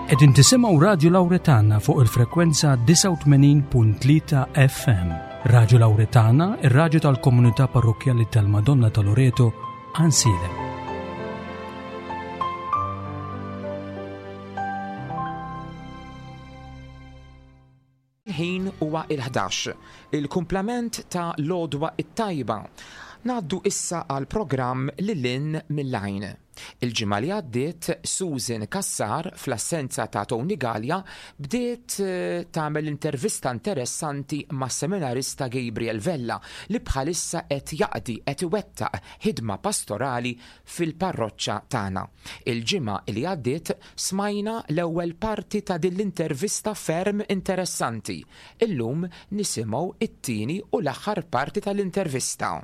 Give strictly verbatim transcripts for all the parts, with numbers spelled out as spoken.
Qegħdin tisimgħu Radju Lawretana fuq il-frekwenza disgħa u tmenin punt tlieta F M. Radju Lawretana, ir-radju tal-Komunità Parrokkjali tal-Madonna ta' Loreto, Għajnsielem. Il-ħin huwa il-ħdax, il-kumplament ta' l-għodwa it-tajba. Ngħaddu issa għal programm Lil Hinn mill-Għajn. Il-ġimgħa li għaddiet Susan Kassar, fl-assenza ta' Tony Gallia, bdiet eh, tagħmel intervista interessanti ma' seminarista Gabriel Vella li bħalissa qed jaqdi, qed iwettaq ħidma pastorali fil-parroċċa tagħna. Il-ġimgħa li għaddiet smajna l-ewwel parti ta' din l-intervista ferm interessanti. Illum nisimgħu it-tieni u l-aħħar parti tal-intervista.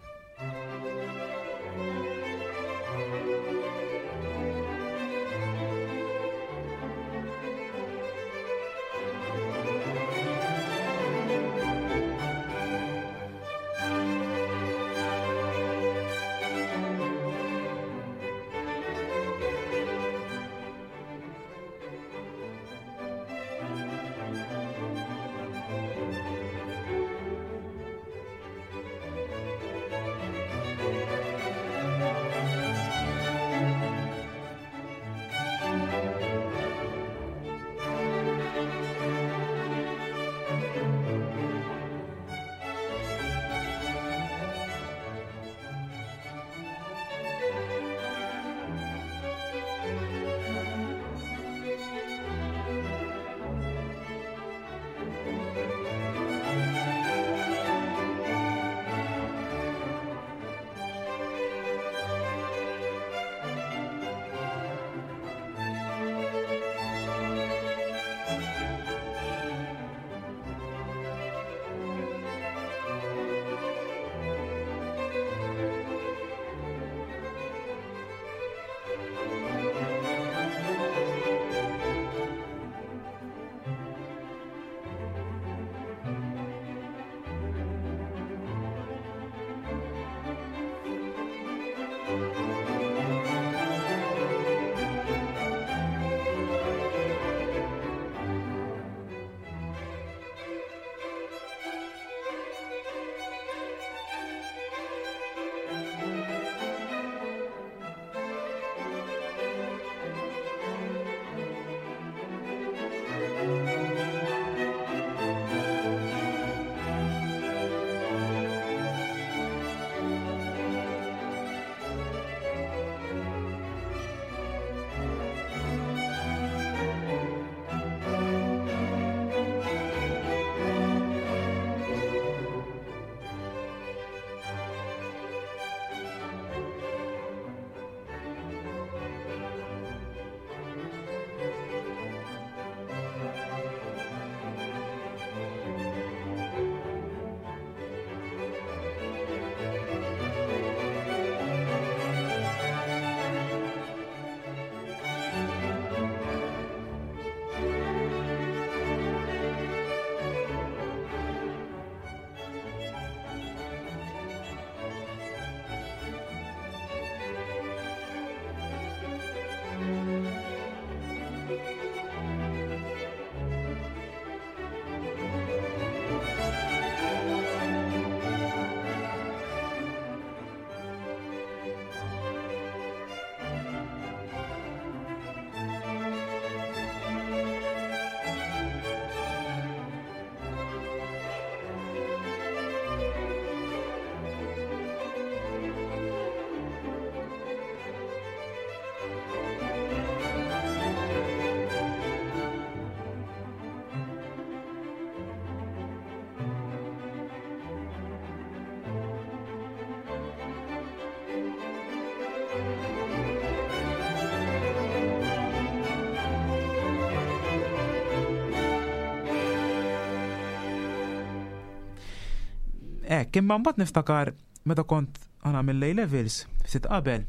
Ek, imma mbagħad niftakar meta kont għana mill-A levels, ftit qabel,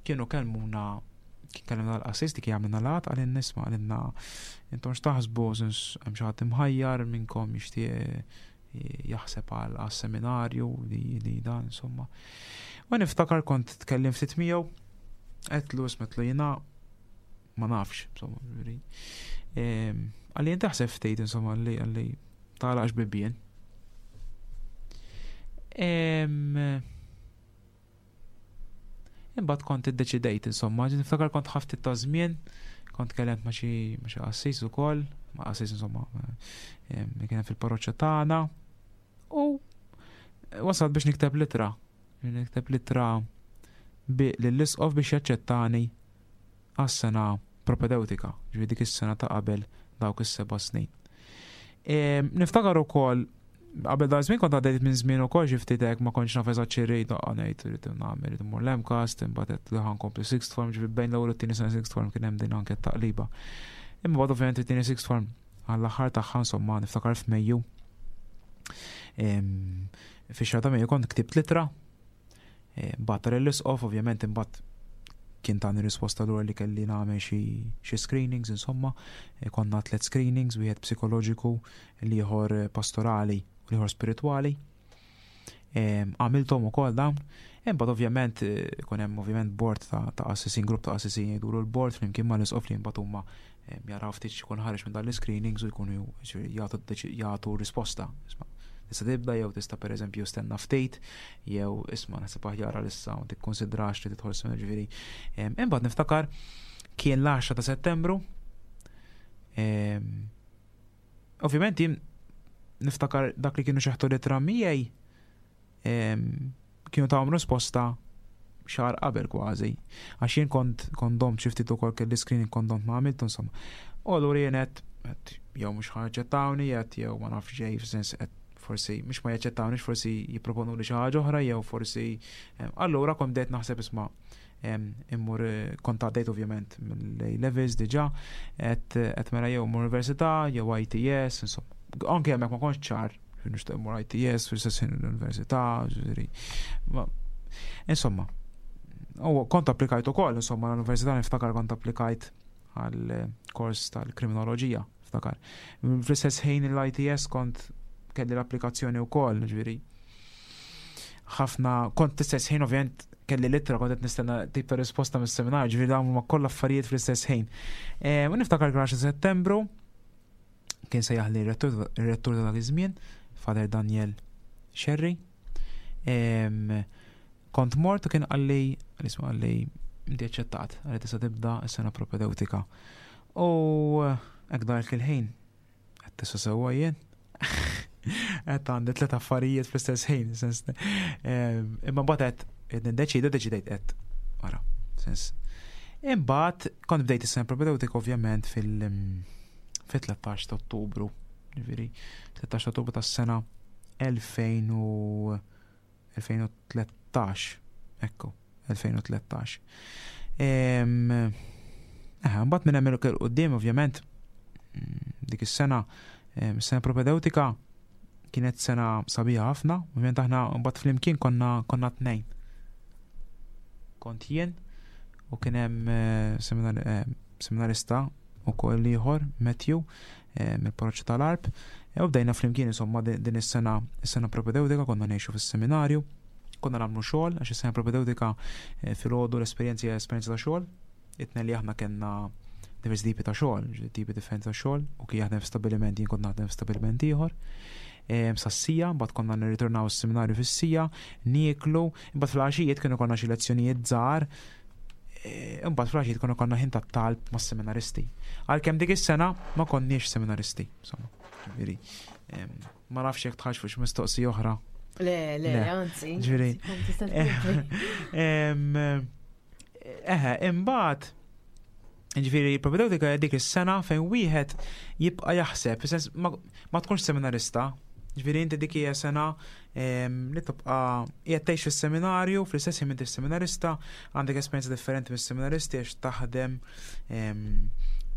kienu kellmuna, kien kellimna l-qassis li kien għamilna laqgħat, qalilna, "Isma'," qalilna, "intom x'taħsbu, sens hemm xi ħadd imħajjar minnkom jixtieq jaħseb għal seminarju li li dan?" Insomma. U niftakar kont tkellim ftit miegħu, għedtlu, għedtlu jiena ma nafx, insomma, ġifieri. Qalli inti aħseb ftit, insomma, qalli qalli tagħlaqx bibien. Em, Imbagħad kont iddeċidejt, insomma, niftakar kont ħadt ftit ta' żmien, kont kellemt ma' xi ma' xi qassis ukoll, ma' qassis, insomma, em, li kien fil-parroċċa tagħna. U wasalt biex nikteb litra. Nikteb litra bi lill-isqof biex jaċċettani għas-sena propedeutika, ġifieri dik is-sena ta' qabel dawk is-seba' snin. Em, Niftakar ukoll qabel da żmien kont għaddejt minn żmien ukoll xi ftit hekk, ma kontx naf eżatt xi rrid, daqqa ngħid irrid nagħmel, irid immur l-MCAST, imbagħad qed li ħa nkompli sixth form, ġifieri bejn l-ewwel u t-tieni sena sixth form kien hemm din anke t-taqliba. Imma bad ovvjament it-tieni sixth form għall-aħħar tagħha, insomma, niftakar f'Mejju. Em, Fix-xahar ta' Mejju kont ktibt litra, bgħattha lill-isqof, ovvjament imbagħad kien tani risposta lura li kelli nagħmel xi xi screenings, insomma, eh, konna tliet screenings, wieħed psikoloġiku, l-ieħor pastorali u l-ieħor spiritwali. Em, Għamilthom ukoll dawn. Imbagħad ovvjament eh, ikun hemm ovvjament board ta' ta' qassisin, grupp ta' qassisin jgħidulu l-board flimkien mal-isqof li mbagħad huma em, jaraw ftit x'ikun ħareġ minn dan l-screenings u jkunu ġifieri jagħtu deċi- jagħtu risposta. Isma', tista' tibda jew tista' pereżempju stenna ftit jew isma' naħseb aħjar għalissa ma tikkonsidrax li tidħol sena, ġifieri. Em, Imbagħad niftakar kien l-għaxra ta' Settembru. Em, Ovvjament jien niftakar dak li kienu xeħtu litra miegħi em, kienu tawhom risposta xahar qabel kważi. Għax jien kont kont domt xi ftit ukoll, kelli screening kont domt ma għamiltu, insomma. U allura jien qed qed jew mhux ħa jaċċettawni, qed jew ma nafx ġej, f'sens qed forsi mhux ma jaċċettawni, forsi jipproponu li xi ħaġa oħra jew forsi em, allura kont bdejt naħseb, isma' em, immur eh, kont għaddejt ovvjament mill-A levels diġà, qed qed mela jew immur università jew I T S, insomma. Anke hemmhekk ma kontx ċar, nixtieq immur I T S fl-istess ħin l-università, ġifieri. Ma- Insomma, u kont applikajt ukoll, insomma, l-università niftakar kont applikajt għal eh, kors tal-kriminoloġija, niftakar. Fl-istess ħin l-I T S kont kelli l-applikazzjoni wkoll, ġifieri. Ħafna, kont l-istess ħin ovvjament kelli litra, kont qed nistenna tip ta' risposta mis-seminar, ġifieri dawn huma kollha affarijiet fl-istess ħin. Eh, U niftakar għaxra Settembru kien sejjaħli r-rettur ir-rettur ta' dak iż-żmien, Father Daniel Sherry. Em, Kont mort u kien qalli, isma', qalli inti aċċettat, qalli tista' tibda s-sena propedeutika. U hekk dak il-ħin, qed tista' sewwa jien. Qed għandi tliet affarijiet fl-istess ħin, sens em, imma mbagħad qed niddeċidu, deċidejt qed ara, sens. Imbagħad kont bdejt is-sena propedeutika ovvjament fil fit-tlettax ta' Ottubru, ġifieri tlettax ta' Ottubru tas-sena elfejn u elfejn u tlettax, ekku, elfejn u tlettax. Em, Eh, mbagħad minn hemm 'il quddiem ovvjament mm, dik is-sena, em, sena propedeutika kienet sena sabiħa ħafna, ovvjament aħna mbagħad flimkien konna konna tnejn. Kont jien u kien hemm eh, seminar- eh, seminarista ukoll ieħor, Matthew, eh, mill-parroċċa tal-Għarb, e u bdejna flimkien insomma din din is-sena is-sena propedeutika konna ngħixu fis-seminarju, konna nagħmlu xogħol għax is-sena propedeutika eh, filgħodu l-esperjenza hija esperjenza ta' xogħol, itna li aħna kellna diversi tipi ta' xogħol, ġifieri tipi differenti ta' xogħol, u kien jaħdem f'stabbiliment, jien kont naħdem f'stabbiliment ieħor. Em, Sas-siegħa, mbagħad konna nirritornaw s-seminarju fis-siegħa, nieklu, imbagħad fil-għaxijiet kienu konna xi lezzjonijiet żgħar, e, imbagħad fil-għaxijiet konna konna ħin tat-talb mas-seminaristi. Għalkemm dik is-sena ma konniex seminaristi, insomma. Ġifieri, em, ma nafx jekk tħax fuq mistoqsija oħra. Le, le, Le. anzi. Ġifieri, Kont tista' tkompli. Em, Eħe, imbagħad ġifieri propedeutika hija dik is-sena fejn wieħed jibqa' jaħseb, fis-sens ma, ma tkunx seminarista. Ġifieri inti dik hija sena em, li tibqa' qiegħed tgħix fis-seminarju, fl-istess ħin inti seminarista, għandek esperjenza differenti mis-seminaristi għax taħdem, em,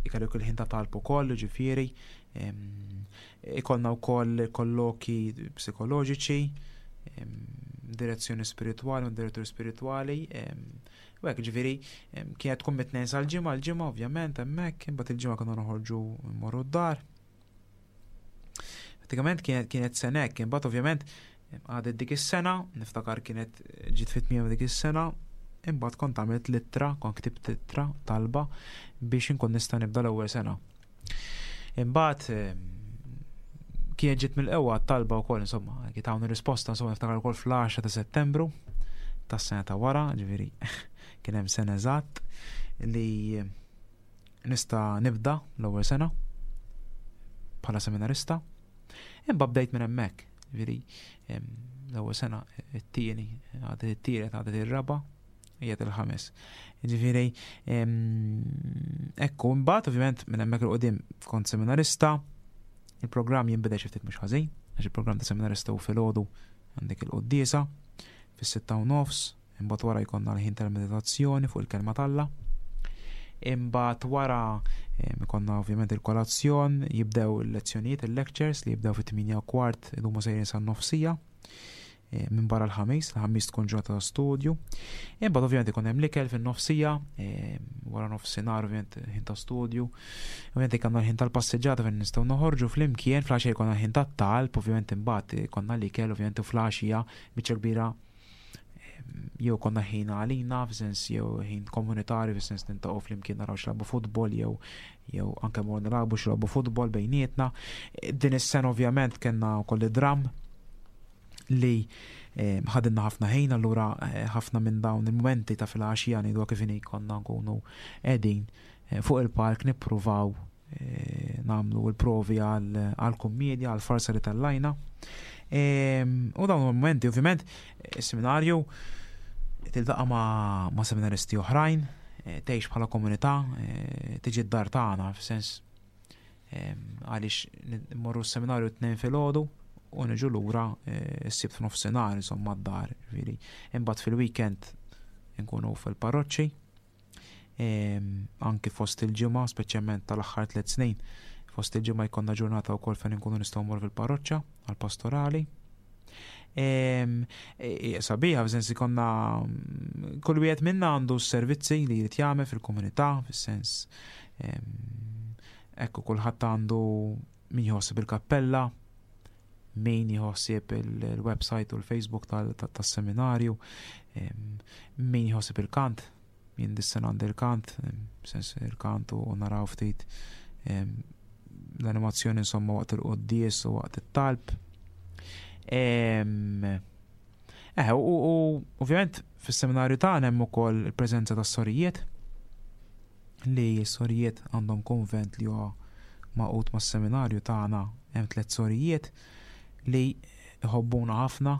ikollu il-ħin ta' talb ukoll, ġifieri, em, ikollna wkoll kolloki psikoloġiċi, em, direzzjoni spiritwali, un direttur spiritwali, em, u hekk ġifieri em, kienet tkun mit-tnejn sal-ġimgħa, l-ġimgħa ovvjament hemmhekk, imbagħad il-ġimgħa konna noħorġu mmorru d-dar. Pratikament kienet kienet sena hekk, imbagħad ovvjament għadet dik is-sena, niftakar kienet ġiet fit-tmiem dik is-sena, imbagħad kont għamilt littra, kont ktibt littra talba biex inkun nista' nibda l-ewwel sena. Imbagħad kienet ġiet mill-qewwa talba wkoll, insomma, kien hawn risposta, insomma, niftakar ukoll fl-għaxra ta' Settembru tas-sena ta' wara, ġifieri kien hemm sena eżatt li nista' nibda l-ewwel sena bħala seminarista. Imma bdejt minn hemmhekk, ġifieri l-ewwel sena, it-tieni, għadet it-tielet, għadet ir-raba', qiegħed il-ħames. Ġifieri ekku, imbagħad ovvjament minn hemmhekk 'il quddiem kont seminarista. Il-programm jinbidel xi ftit mhux ħażin, għax il-programm ta' seminarista u filgħodu għandek il-quddiesa fis-sitta u nofs, imbagħad wara jkollna l-ħin tal-meditazzjoni fuq il-kelma t'Alla. Imbagħad wara ikollna ovvjament il-kolazzjon, jibdew il-lezzjonijiet, il-lectures li jibdew fit-tmienja u kwart idumu sejrin san-nofsija minn barra l-Ħamis, l-Ħamis tkun ġurnata ta' studju. Imbagħad ovvjament ikun hemm l-ikel fin-nofsija, wara nofsinhar ovvjament ħin ta' studju. Ovvjament ikollna l-ħin tal-passiġġata fejn nistgħu noħorġu flimkien, fl-għaxija jkollna l-ħin tat-talb, ovvjament imbagħad ikollna l-ikel, ovvjament u fl-għaxija biċċa kbira jew konna ħin għalina, f'sens jew ħin komunitarju, f'sens niltaqgħu flimkien naraw x'lagħbu futbol jew jew anke mor nilagħbu x'lagħbu futbol bejnietna. Din is-sena ovvjament kellna wkoll id-dram li ħadinna ħafna ħin, allura ħafna minn dawn il-momenti ta' fil-għaxija ngħidu kif inhi konna nkunu qegħdin fuq il-park nippruvaw nagħmlu l-provi għal-kummedja, għal-farsa li tellajna. U dawn il-momenti, ovvjament, is-seminarju tiltaqa' ma', ma' seminaristi oħrajn, tgħix bħala komunità, tiġi d-dar tagħna, f'sens għaliex mmorru s-seminarju t-Tnejn filgħodu u niġu lura s-Sibt f'nofsinhar, insomma, d-dar, ġifieri. Imbagħad fil-weekend nkunu fil-parroċċi, anki fost il-ġimgħa, speċjalment tal-aħħar tliet snin, fost il-ġimgħa jkollna ġurnata wkoll fejn inkunu nistgħu mmorru fil-parroċċa għall-pastorali. Sabiħa, f'sens ikonna kull wieħed minna għandu s-servizzi li jrid jagħmel fil-komunità, fis-sens ekku kulħadd għandu min jħossib il-kappella, min jħossib il-website u l-Facebook tas-seminarju, min jħossib il-kant, jien dis-sena għandi il-kant, sens il-kant u naraw ftit l-animazzjoni, insomma, waqt il-quddies u waqt it-talb. Eh, u ovvjament fis-seminarju tagħna hemm ukoll il-preżenza tas-sorijiet, li s-sorijiet għandhom konvent li huwa magħqud mas-seminarju tagħna, hemm tliet sorijiet li jħobbuna ħafna,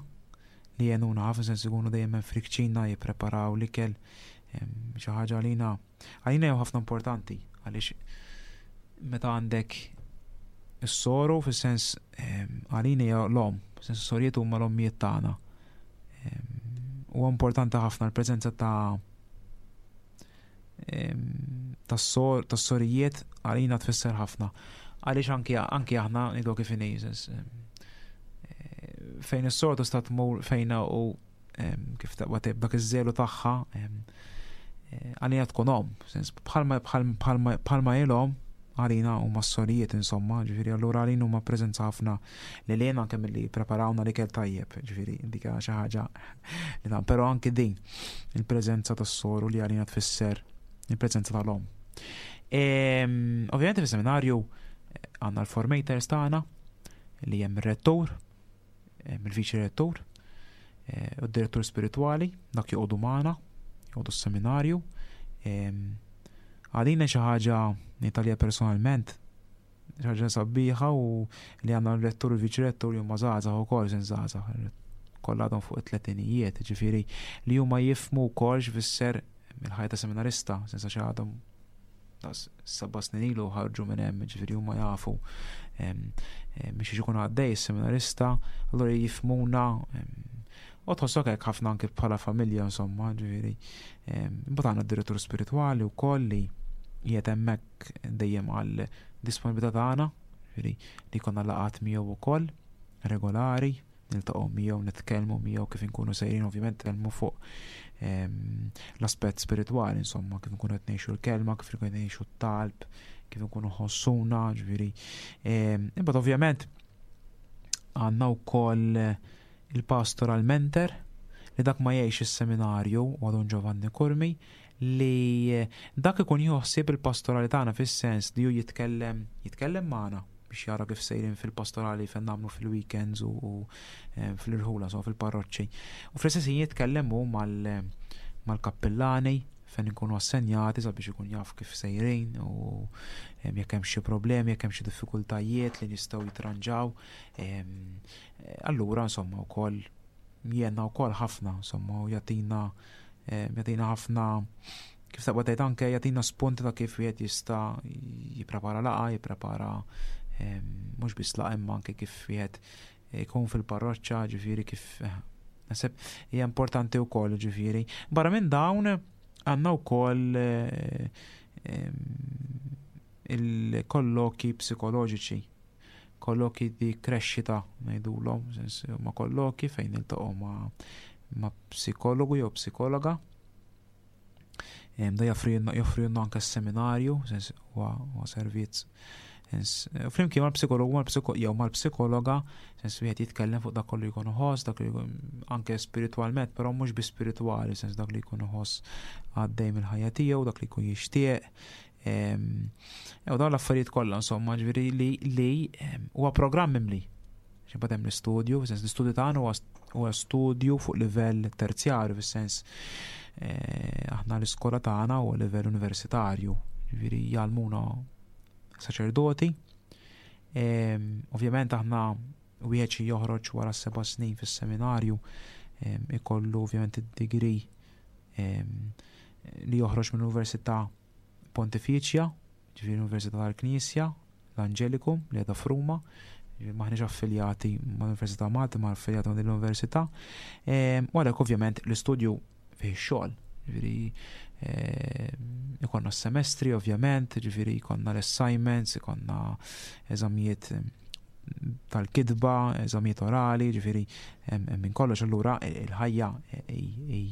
li jgħinuna ħafna, sens ikunu dejjem hemm fil-kċina jippreparaw l-ikel, xi ħaġa għalina għalina jew ħafna importanti, għaliex meta għandek is-soru, fis-sens għalina hija l-omm, fis-sens is-sorijiet huma l-ommijiet tagħna. Huwa importanti ħafna l-preżenza ta' tas-sorijiet, għalina tfisser ħafna. Għaliex anki anki aħna ngħidu kif inhi, fejn is-sor tista' tmur fejna u kif taqbad dak iż-żelu tagħha, għalina tkun omm, sens bħalma bħalma bħalma ilhom għalina huma s-sorijiet, insomma, ġifieri allura għalina huma preżenza ħafna li lejna anke milli preparawna l-ikel tajjeb, ġifieri dik xi ħaġa li dan, però anke din il-preżenza tas-soru li għalina tfisser il-preżenza tal-omm. Ovvjament fis-seminarju għandna l-formators tagħna li hemm ir-rettur, il-viċi rettur, u d-direttur spiritwali, dak joqogħdu magħna, joqogħdu s-seminarju. Għalina xi ħaġa Italja personalment, xi ħaġa sabiħa u li għandna l-rettur u l-viċi rettur li huma żgħażagħ ukoll, sin żgħażagħ, kollha għadhom fuq it-tletinijiet, ġifieri li huma jifhmu wkoll x'fisser il-ħajja ta' seminarista, sensa xi għadhom seba' snin ilu ħarġu minn hemm, ġifieri huma jafu biex ikun għaddej is-seminarista, allura jifhmuna u tħossok hekk ħafna anke bħala familja, insomma, ġifieri. Imbagħad għandna d-direttur spiritwali wkoll li qiegħed hemmhekk dejjem għal disponibilità tagħna, ġifieri li konna laqgħat miegħu wkoll regolari, niltaqgħu miegħu, nitkellmu miegħu kif inkunu sejrin, ovvjament nitkellmu fuq l-aspett spiritwali, insomma, kif inkunu qed ngħixu l-kelma, kif inkunu qed ngħixu t-talb, kif inkunu ħossuna, ġifieri. Imbagħad ovvjament għandna wkoll il-pastoral mentor li dak ma jgħix is-seminarju, u Dun Giovanni Curmi, li dak ikun joħsib il-pastorali tagħna, fis-sens li hu jitkellem jitkellem magħna biex jara kif sejrin fil-pastorali fejn nagħmlu fil-weekends u, u eh, fil-irħula, so fil-parroċċi. U fl-istess ħin jitkellem hu mal- mal-kappillani fejn ikunu assenjati sabiex ikun jaf kif sejrin u em, jekk hemm xi problemi, jekk hemm xi diffikultajiet li nistgħu jitranġaw. Em, eh, Allura insomma wkoll jenna wkoll ħafna, insomma, u jagħtina em, jagħtina ħafna, kif taqbad tgħid, anke jagħtina spunti ta' kif wieħed jista' jipprepara laqgħa, jipprepara em, mhux biss laqgħa imma anke kif wieħed ikun fil-parroċċa, ġifieri kif eh, naħseb hija importanti wkoll, ġifieri. Barra minn dawn għandna wkoll eh, em, il-kolloki psikoloġiċi, kolloki di crescita ngħidulhom, sens huma kolloki fejn niltaqgħu ma' ma' psikologu jew psikologa. Em, Da joffri joffri anke seminarju, sens huwa huwa servizz. Sens, eh, flimkien mal-psikologu mal-psiko jew mal-psikologa, sens wieħed jitkellem fuq dak kollu jkun iħoss, dak li jkun anke spiritwalment, però mhux bi spiritwali, sens dak li jkun iħoss għaddej mill-ħajja tiegħu, dak li jkun jixtieq. Em, U dawn l-affarijiet kollha, insomma, ġifieri li li em, huwa programm mimli. Xi hemm l-istudju, sens l-istudju tagħna huwa huwa studju fuq livell terzjarju, fis-sens eh, aħna l-iskola tagħna huwa livell universitarju, ġifieri jgħallmuna saċerdoti. Em, Ovvjament aħna wieħed xi joħroġ wara seba' snin fis-seminarju em, ikollu ovvjament id-degree em, li joħroġ mill-Università Pontifiċja, ġifieri l-Università tal-Knisja, l-Angelicum li għadha f'Ruma, ġifieri maħniex affiljati mal-Università Malta, ma affiljati ma' din l-Università. Em, U għalhekk ovvjament l-istudju fih xogħol, ġifieri em, ikonna semestri ovvjament, ġifieri ikonna l-assignments, ikonna eżamijiet em, tal-kitba, eżamijiet orali, ġifieri hemm hemm minn kollox, allura il-ħajja hi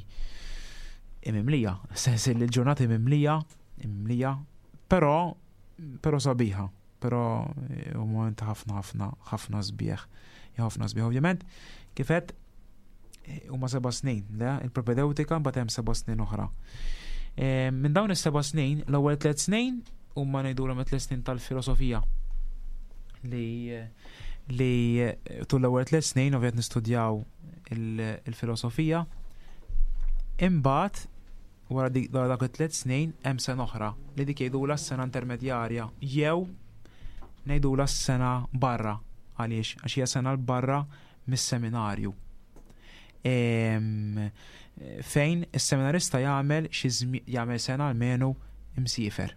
mimlija, sens li l-ġurnata hi mimlija, mimlija, però però sabiħa, però eh, u moment ħafna ħafna ħafna sbieħ, ħafna sbieħ. Ovvjament, kif għedt, eh, huma seba' snin, le, il-propedeutika, mbagħad hemm seba' snin oħra. Eh, Minn dawn is-seba' snin, l-ewwel tliet snin huma ngħidulhom it-tliet snin tal-filosofija li li tul l-ewwel tliet snin ovvjament nistudjaw il- il-filosofija. Imbagħad wara dik wara dak it-tliet snin hemm sena oħra li dik jgħidulha s-sena intermedjarja jew ngħidulha s-sena barra. Għaliex? Għax hija sena 'l barra mis-seminarju. Em, fejn is-seminarista jagħmel xi żmi- jagħmel sena almenu imsiefer.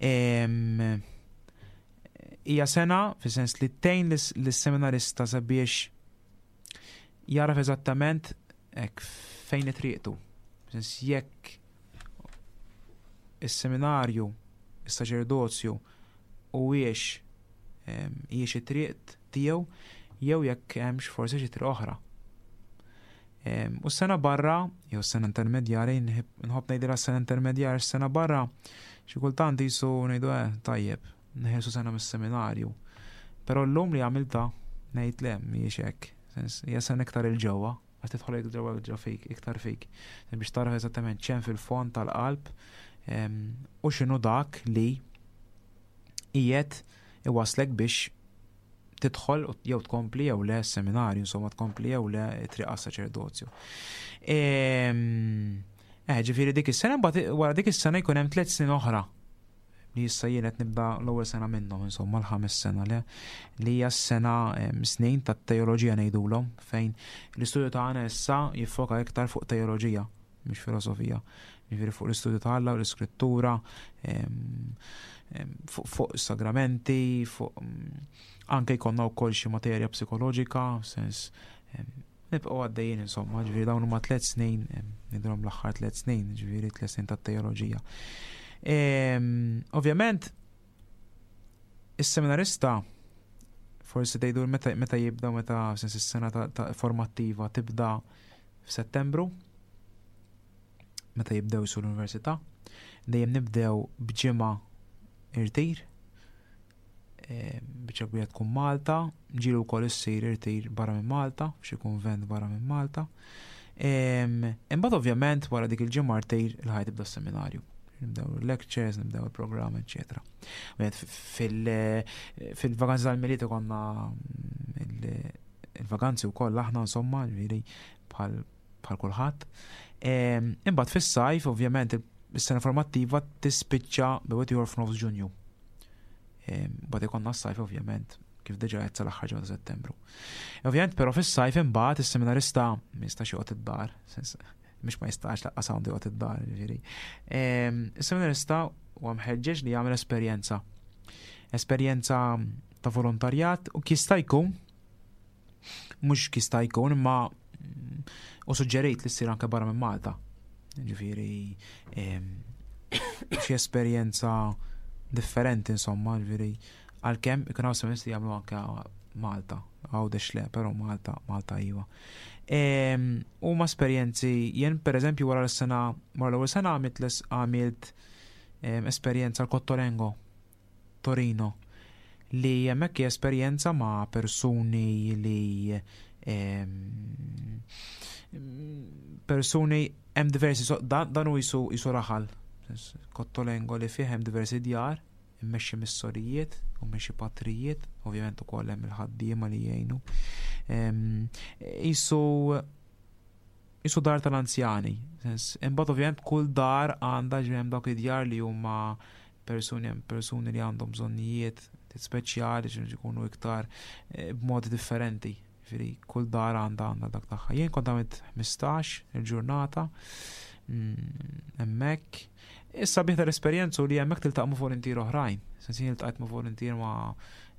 Em, Hija sena fis-sens li tgħin lis- lis-seminarista sabiex jaraf eżattament hekk fejn triqtu. Sens jekk is-seminarju, is-saċerdozju huwiex hijiex it-triq tiegħu jew jekk hemmx forsi xi triq oħra. Em, U s-sena barra, jew s-sena intermedjarja, nħib- nħobb ngħidilha s-sena intermedjarja, s-sena barra, xi kultant jisu ngħidu eh tajjeb, neħelsu sena mis-seminarju. Però llum li għamilta ngħid le, mhijiex hekk. Sens hija sena iktar 'il ġewwa, għax tidħol ġewwa ġewwa fik, iktar fik. Biex taraf eżattament x'hemm fil-fond tal-qalb em, u x'inhu dak li qiegħed iwaslek biex tidħol u- jew tkompli jew le seminarju, insomma tkompli jew le triq saċerdozju. Em, Eh, ġifieri dik is-sena, mbagħad wara dik is-sena jkun hemm tliet snin oħra li issa jien qed nibda l-ewwel sena minnhom, insomma l-ħames sena le, li hija s-sena em, snin tat-teoloġija ngħidulhom, fejn l-istudju tagħna issa jiffoka iktar fuq teoloġija mhux filosofija. Ġifieri fuq l-istudju ta' Alla u l-iskrittura, em, em, fuq fuq sagramenti, fuq mm, anke jkollna wkoll xi materja psikoloġika, sens em, nibqgħu għaddejjin insomma, ġifieri dawn huma tliet snin, em, ngħidulhom l-aħħar tliet snin, ġifieri tliet snin tat-teoloġija. Em, Ovvjament, is-seminarista forsi tgħidu meta meta jibda, meta sens is-sena ta', ta formattiva tibda f'Settembru, meta jibdew su l-università, dejjem nibdew b'ġimgħa irtir, eh, biċċa kbira tkun Malta, ġieli wkoll issir irtir barra minn Malta, f'xi kunvent barra minn Malta. Imbagħad ovvjament wara dik il-ġimgħa martejr il-ħajt tibda s-seminarju. Nibdew il-lectures, nibdew il-programm, eċetera. Fil-vaganzi tal-Milied konna il-vaganzi wkoll aħna insomma, ġifieri bħal kulħadd. Imbagħad fis-sajf ovvjament is-sena formattiva tispiċċa bejn ieħor f'nofs Ġunju. Mbagħad ikollna s-sajf ovvjament kif diġà qed sal-aħħar ġimgħa ta' Settembru. Ovvjament però fis-sajf imbagħad is-seminarista ma jistax joqgħod id-dar, mhux ma jistax lanqas għandu joqgħod id-dar, ġifieri. Is-seminarista huwa mħeġġeġ li jagħmel esperjenza. Esperjenza ta' volontarjat u jista' jkun mhux jista' jkun imma u suġġerejt li ssir anke barra minn Malta. Ġifieri xi esperjenza differenti insomma, ġifieri għalkemm ikun hawn semestri jagħmlu anke Malta, Għawdex le, però Malta, Malta iva. Huma esperjenzi, jien pereżempju wara l-sena, wara l-ewwel sena għamilt għamilt esperjenza l-Cottolengo, Torino, li hemmhekk hija esperjenza ma' persuni li persuni hemm diversi dan hu jisu jisu raħal Cottolengo li fih hemm diversi djar immexxi mis-sorijiet u mmexxi patrijiet, ovvjament ukoll hemm il-ħaddiema li jgħinu. Isu isu dar tal-anzjani. Imbagħad ovvjament kull dar għandha ġi hemm dawk id-djar li huma persuni persuni li għandhom bżonnijiet speċjali ġi jkunu iktar eh, b'modi differenti. Ġifieri kull dar għandha għandha dak tagħha. Jien kont għamilt ħmistax il-ġurnata mm, hemmhekk. Issa bih tal-esperjenza li hemmhekk tiltaqa' ma' voluntier oħrajn. Sens jien iltqajt ma' voluntier ma'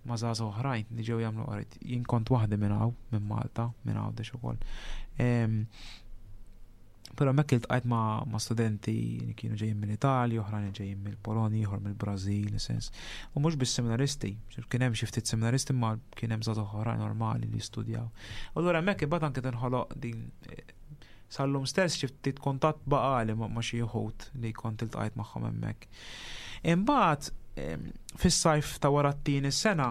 ma' żgħażagħ oħrajn li ġew jagħmlu qrajt. Jien kont waħdi minn hawn, minn Malta, minn Għawdex ukoll. Però hemmhekk iltqajt ma' ma' studenti li kienu ġejjin mill-Italja, oħrajn ġejjin mill-Polonja, ieħor mill-Brażil, sens. U mhux biss seminaristi, kien hemm xi ftit seminaristi ma kien hemm żgħażagħ oħrajn normali li jistudjaw. U allura hemmhekk imbagħad anke tinħoloq din sal-lum stess xi ftit kuntatt baqali ma' xi wħud li kont iltqajt magħhom hemmhekk. Imbagħad fis-sajf ta' wara t-tieni sena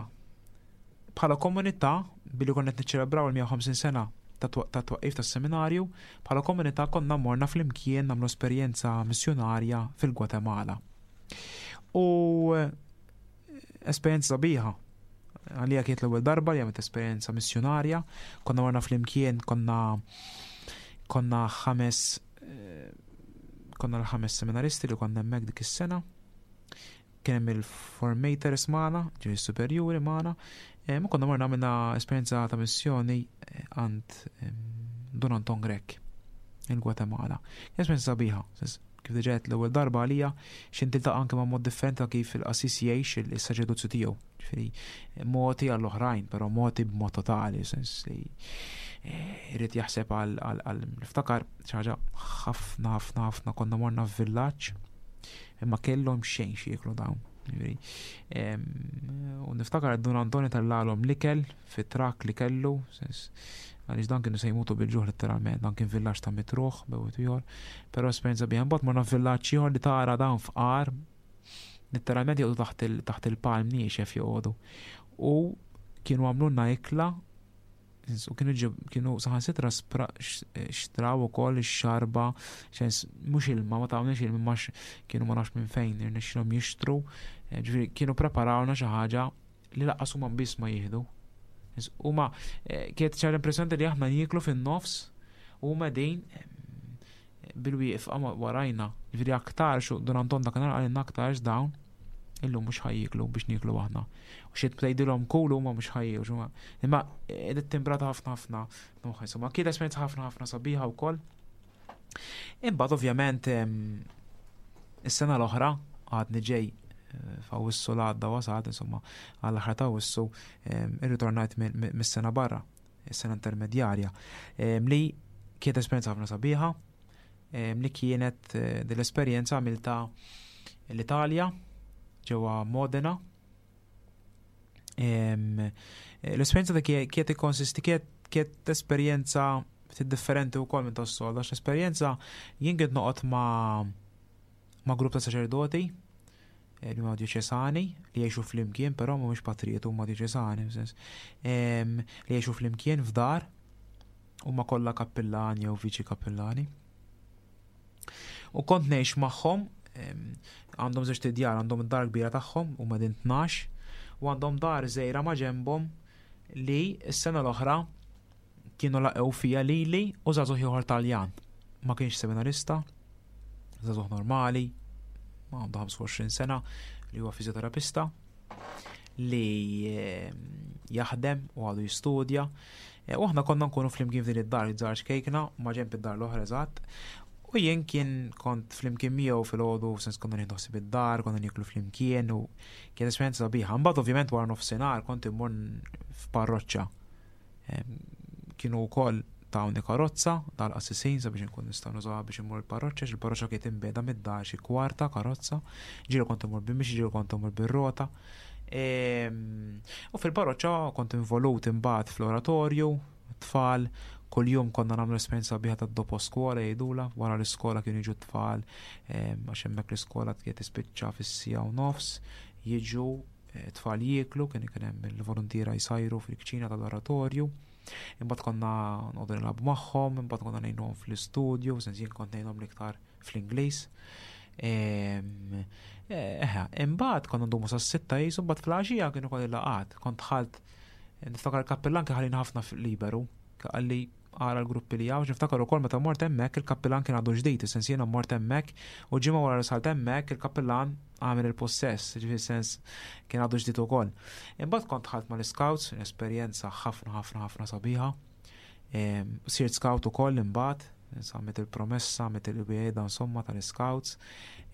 bħala komunità billi konna qed niċċelebraw il-mija u ħamsin sena ta' twaqqif tas-seminarju, bħala komunità konna morna flimkien nagħmlu esperjenza missjonarja fil-Gwatemala. U esperjenza sabiħa. Għalija kienet l-ewwel darba li għamilt esperjenza missjonarja, konna morna flimkien, konna konna ħames konna l-ħames seminaristi li konna hemmhekk dik is-sena. Kien hemm il-formators magħna, ġifieri superjuri magħna, ma konna morna għamilna esperjenza ta' missjoni għand Don Anton Grech il-Gwatemala. Esperjenza sabiħa, kif diġà għedt l-ewwel darba għalija x'in tiltaqa' anke ma' mod differenti ta' kif il-qassis jgħix is-saċerdozju tiegħu. Ġifieri moti għall-oħrajn, però moti b'mod totali, sens li irid jaħseb għal għal niftakar xi ħaġa ħafna ħafna ħafna konna morna f'villaġġ imma kellhom xejn xi jieklu dawn. Ġifieri, u niftakar Dun Antoni tellalhom l-ikel fit-trak li kellu, sens għaliex dan kienu se jmutu bil-ġuħ letteralment, dan kien villaġġ ta' mitt ruħ bejn ieħor, però esperjenza biha. Mbagħad morna f'villaġġ ieħor li tara dawn fqar, letteralment joqogħdu taħt il-, taħt il-palm niexef joqogħdu. U kienu għamlulna ikla, u kienu ġib, kienu saħansitra spra-, x-, xtraw ukoll ix-xarba, xens mhux ilma, ma tawniex ilma, ma x-, kienu ma nafx minn fejn irnexxilhom jixtru, eh, ġifieri kienu preparawna xi ħaġa li lanqas huma biss ma jieħdu. Huma, eh, kienet ċar impressjoni li aħna nieklu fin-nofs u huma din, eh, bil-wieqfa warajna. Ġifieri aktar xu Dun Anton dak nhar qalilna aktarx dawn illum mhux ħajjiklu biex nieklu aħna. U xi tgħidilhom kulu huma mhux ħajjiklu, x'huma. Imma qiegħda timbrata ħafna ħafna moħħ, insomma, kienet esperjenza ħafna ħafna sabiħa wkoll. Imbagħad ovvjament, em, is-sena l-oħra għadni ġej, eh, f'Awwissu l-għadda wasalt, insomma, għall-aħħar ta' Awwissu, em, irritornajt mi-, mi-, mis-sena barra, is-sena intermedjarja, em, li kienet esperjenza ħafna sabiħa, em, li kienet, eh, dell-esperjenza għamilta l-Italja, ġewwa Modena. Em, l-esperjenza ta' kie-, kienet ikkonsisti, kienet, kienet esperjenza ftit differenti wkoll minn tas-soltu, għax l-esperjenza jien kien noqgħod ma', ma' grupp ta' saċerdoti, eh, li huma dioċesani, li jgħixu flimkien, però mhumiex patrijiet, huma dioċesani, f'sens, em, li jgħixu flimkien f'dar. Huma kollha kappillani jew viċi kappillani. U kont ngħix magħhom, għandhom żewġ tidjar, għandhom id-dar kbira tagħhom huma din tnax, u għandhom dar żgħira ma' ġenbhom li s-sena l-oħra kienu laqgħu fija lili u żagħżugħ ieħor Taljan. Ma kienx seminarista, żagħżugħ normali, ma għandu ħamsa u għoxrin sena, li huwa fiżjoterapista li jaħdem u għadu jistudja. E, u aħna konna nkunu flimkien f'din id-dar iż-żgħar ċkejkna, ma ġenb id-dar l-oħra eżatt. U jien kien kont flimkien miegħu filgħodu, sens konna nieħdu ħsieb id-dar, konna nieklu flimkien u kien esperjenza sabiħa. Mbagħad ovvjament wara nofsinhar kont immur f'parroċċa. Kienu wkoll tawni karozza tal-qassisin sabiex nkun nistgħu nużawha biex immur il-parroċċa, il-parroċċa kienet imbiegħda mid-dar xi kwarta karozza, ġieli kont immur bil-mixi, ġieli kont immur bir-rota. U fil-parroċċa kont involut imbagħad fl-oratorju, tfal, kuljum konna nagħmlu esperjenza sabiħa ta' dopo scuola jgħidula, wara l-iskola kienu jiġu tfal, għax hemmhekk l-iskola kienet tispiċċa fis-siegħa u nofs, jiġu eh, tfal jieklu, kien ikun hemm il-volontiera jsajru fil-kċina tal-oratorju. Imbagħad konna noqogħdu nilagħbu magħhom, imbagħad konna ngħinuhom fl-istudju, sens jien kont ngħinhom l-iktar fl-Ingliż. Eħe, imbagħad konna ndumu sas-sitta jisu, mbagħad fl-għaxija kienu kolli laqgħat. Kont dħalt, niftakar il-kappellan kien ħallini ħafna liberu, qalli ara l-gruppi li hawn, niftakar ukoll meta mort hemmhekk il-kappellan kien għadu ġdid, sens jiena mort hemmhekk u ġimgħa wara li salt hemmhekk il-kappellan għamel il-possess, ġifieri sens kien għadu ġdid ukoll. Imbagħad kont dħalt mal-scouts, esperjenza ħafna ħafna ħafna sabiħa. Sirt scout ukoll imbagħad, għamilt il-promessa, għamilt il-wiegħda insomma tal-scouts.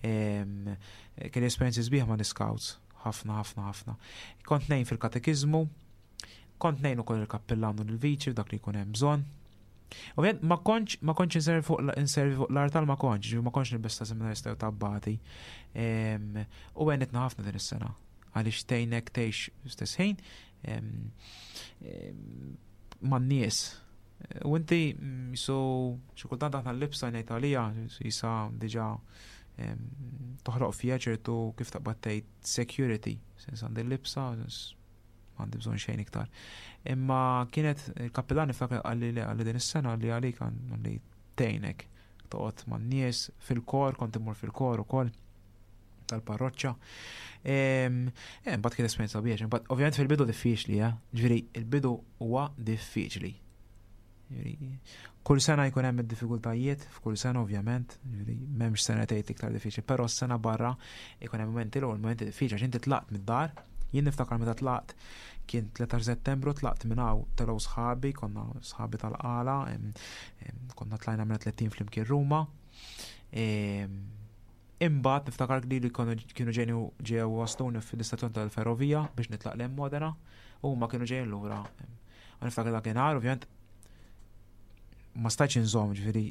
Kien esperjenzi sbieħ mal-scouts, ħafna ħafna ħafna. Kont ngħin fil-katekiżmu, kont ngħin ukoll il-kappellan u l-viċi f'dak li jkun hemm bżonn. Ovvjament ma kontx ma kontx inservi fuq inservi fuq l-artal, ma kontx, ġifieri ma kontx nilbes ta' seminarista jew ta' abbati. U għenitna ħafna din is-sena għaliex tgħinek tgħix stess ħin man-nies. U inti jisu xi kultant aħna l-libsa ngħid għalija jisa diġà toħloq fija ċertu, kif taqbad tgħid, security, sens għandi l-libsa, m'għandi bżonn xejn iktar. Imma kienet il-kappellan niftakar qalli li qalli din is-sena li għalik għalli tgħinek toqgħod man-nies fil-kor, kont immur fil-kor ukoll tal-parroċċa. Mbagħad kien esperjenza biex, imbagħad ovvjament fil-bidu diffiċli, eh? Ġifieri il-bidu huwa diffiċli. Kull sena jkun hemm id-diffikultajiet, f'kull sena ovvjament, ġifieri m'hemmx sena tgħid iktar diffiċli, però s-sena barra jkun hemm momenti l momenti diffiċli għax inti tlaqt mid-dar. Jien niftakar meta tlaqt, kien tlettax Settembru, tlaqt minn hawn, telgħu sħabi, konna sħabi tal-qala, konna tlajna minn tletin flimkien Ruma. Imbagħad niftakar li li kienu ġejni ġew wasluni fl-istazzjon tal-ferrovija biex nitlaq lejn Modena u huma kienu ġejjin lura. U niftakar dakinhar ovvjament ma stajtx inżomm, ġifieri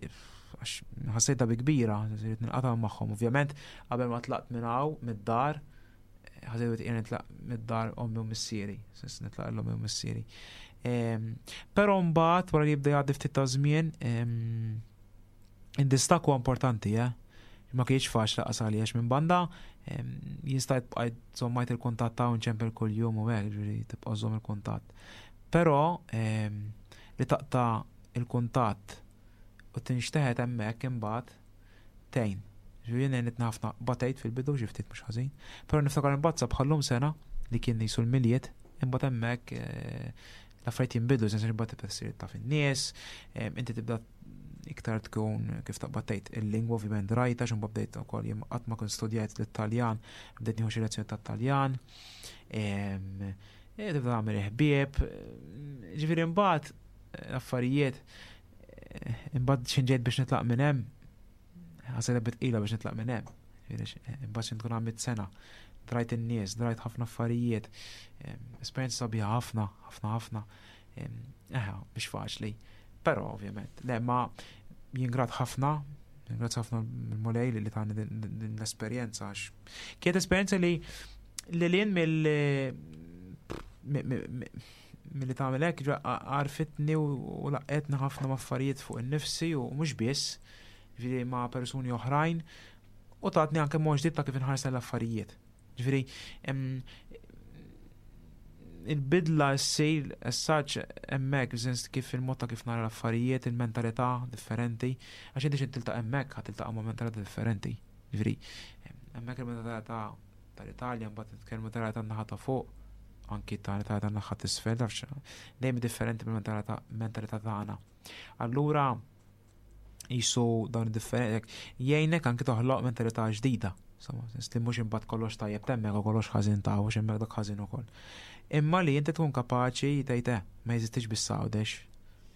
għax ħassejtha bi kbira, ġifieri nilqata' magħhom. Ovvjament qabel ma tlaqt minn hawn mid-dar, ħassejt jien nitlaq mid-dar ommi u missieri, sens nitlaq l-ommi u missieri. Però mbagħad wara li jibda jgħaddi ftit ta' żmien, id-distakk huwa importanti, eh? Ma kienx faċli lanqas għalija għax minn banda jien stajt bqajt żommajt il-kuntatt ta' nċempel kuljum u hekk, ġifieri tibqa' żomm il-kuntatt. Però li taqta' il-kuntatt u tinxteħet hemmhekk imbagħad tgħin. Ġifieri jien għenitni ħafna, batejt fil-bidu xi ftit mhux ħażin, però niftakar imbagħad bħallum sena li kien jisu l-Milied, imbagħad hemmhekk eh, l-affarijiet jinbidlu, sens imbagħad tibda ssir taf in-nies, inti tibda iktar tkun, kif taqbad tgħid, il-lingwa ovvjament rajta x'imma bdejt ukoll jien qatt ma kont studjajt l-Italjan, bdejt nieħu xi lezzjoni tat-Taljan, e, tibda tagħmel ħbieb, ġifieri imbagħad l-affarijiet imbagħad x'ħin ġejt biex nitlaq minn hemm, ħasejtha bi tqila biex nitlaq minn hemm. Imbagħad x'ħin tkun għamilt sena, drajt in-nies, drajt ħafna affarijiet, esperjenza sabiħa ħafna, ħafna ħafna. Eħe, mhix faċli. Però ovvjament, le, ma jien grat ħafna, grat ħafna mill-Mulej li tani din l-esperjenza għax kienet esperjenza li li lien mill milli tagħmel hekk għarfitni u laqqetni ħafna affarijiet fuq in-nifsi u mhux biss, ġifieri ma' persuni oħrajn, u tatni anke mod ġdid ta' kif inħares l-affarijiet. Ġifieri Il-bidla ssir essaċ hemmhekk, sens kif il-mod ta' kif nara l-affarijiet, il-mentalità differenti, għax inti x'int tiltaqa' hemmhekk ħa tiltaqa' ma' mentalità differenti. Ġifieri, hemmhekk il-mentalità tal-Italja, mbagħad nitkellmu tal-naħa ta' fuq, anki tal-Italja tan-naħa t'isfel, tafx, dejjem differenti mill-mentalità mentalità tagħna. Allura jisu dawn differenti jgħinek anki toħloq mentalità ġdida. Insomma, sens li mhux imbagħad kollox tajjeb t'hemmhekk u kollox ħażin ta' u hemmhekk dak ħażin ukoll. Imma li inti tkun kapaċi tgħid eh, ma jeżistix biss Għawdex,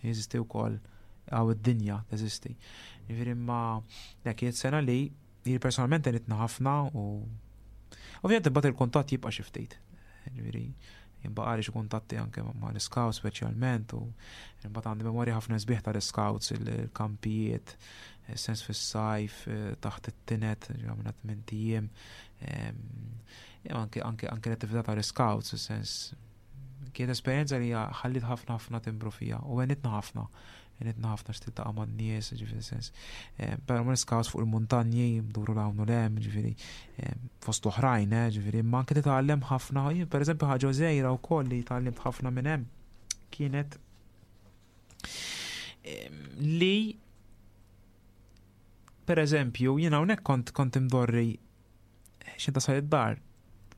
jeżisti wkoll hawn id-dinja teżisti. Jiġifieri imma dak kienet sena li jien personalment għenitna ħafna u ovvjament imbagħad il-kuntatt jibqa' xi ftit. Ġifieri jibqa' xi kuntatti anke ma' l-scouts speċjalment u imbagħad għandi memorja ħafna sbieħ tal-scouts, il-kampijiet, sens fis-sajf, eh, taħt it-tined, għamilna tmint ijiem, anke anke anke l-attività tal-scouts, sens kienet esperjenza li ħallit ħafna ħafna timbru fija u għenitna ħafna. Għenitna ħafna x'tiltaqa' man-nies, ġifieri sens. Però ma scouts fuq il-muntanji, nduru 'l hawn u 'l hemm, ġifieri fost oħrajn, eh, ġifieri imma anke titgħallem ħafna, jien pereżempju ħaġa żgħira wkoll li tgħallimt ħafna minn hemm kienet li per eżempju, jien hawnhekk kont kont imdorri x'inta tasal id-dar,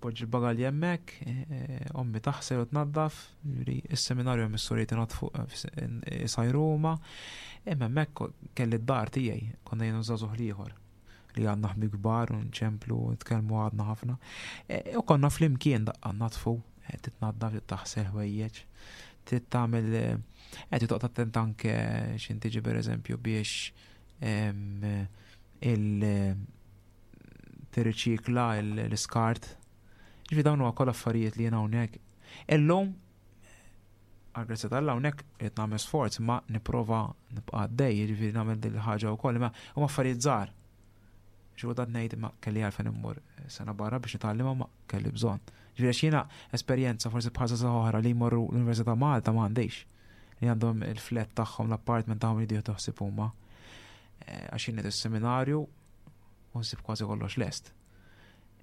tpoġġi l-bagalji hemmhekk, eh, ommi taħsel u tnaddaf, ġifieri is-seminarju hemm is-sorijiet inaddfu isajru huma, imma hemmhekk kelli d-dar tiegħi, konna jien u żagħżugħ l-ieħor li għandna ħbieb kbar u nċemplu u nitkellmu għadna ħafna. E, U konna flimkien daqqa nadfu, eh, titnaddaf, titaħsel ħwejjeġ, trid tagħmel qed toqgħod attent anke x'inti tiġi pereżempju biex em, il tirriċikla l-iskart. Ġifieri dawn huwa kollha affarijiet li jien hawnhekk. Illum għal-grazzja t'Alla hawnhekk qed nagħmel sforz ma nipprova nibqa' għaddej, jiġifieri nagħmel din il-ħaġa wkoll, imma huma affarijiet żgħar. Xi kultant ngħid ma kelli għalfejn immur sena barra biex nitgħallimha ma kelli bżonn. Ġifieri għax jiena esperjenza forsi bħal żgħażagħ oħra li jmorru l-Università Malta ma għandix. Li għandhom il-flat tagħhom, l-apartment tagħhom li jieħdu ħsieb huma. Eh, Għax jien is-seminarju u nsib kważi kollox lest.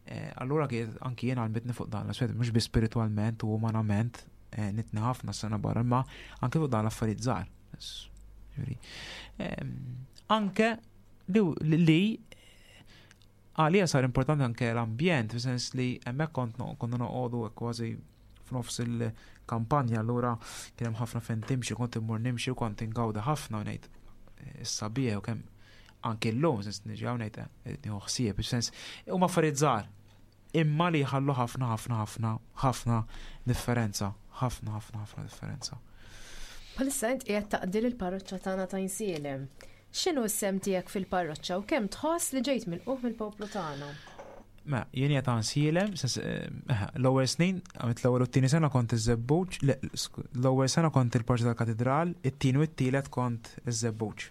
Eh, Allura kien anki jien għallmitni fuq dan l-aspett, mhux biss spiritualment u umanament eh, nitni ħafna sena barra, imma anke fuq dan l-affarijiet żgħar. Ġifieri, ehm, Anke li li għalija sar importanti anke l-ambjent, fis-sens li hemmhekk kont no- konna noqogħdu kważi f'nofs il-kampanja, allura kien hemm ħafna fejn timxi, kont immur nimxi u kont ingawda ħafna u ngħid eh, issa bieħ u kemm anke llum sens niġi hawn ngħid eh, nieħu ħsieb, sens huma affarijiet żgħar. Imma li jħallu ħafna ħafna ħafna ħafna differenza, ħafna ħafna ħafna differenza. Bħalissa int qiegħed taqdi l-parroċċa tagħna ta' Għajnsielem. X'inhu s-sehem tiegħek fil-parroċċa u kemm tħoss li ġejt milqugħ mill-poplu tagħna? Ma, jien qiegħed Għajnsielem, sens, eh, l-ewwel snin, għamilt l-ewwel u t-tieni sena kont iż-Żebbuġ, le, sku- l-ewwel sena kont il-Parroċċa tal-Katedral, it-tieni u t-tielet kont iż-Żebbuġ.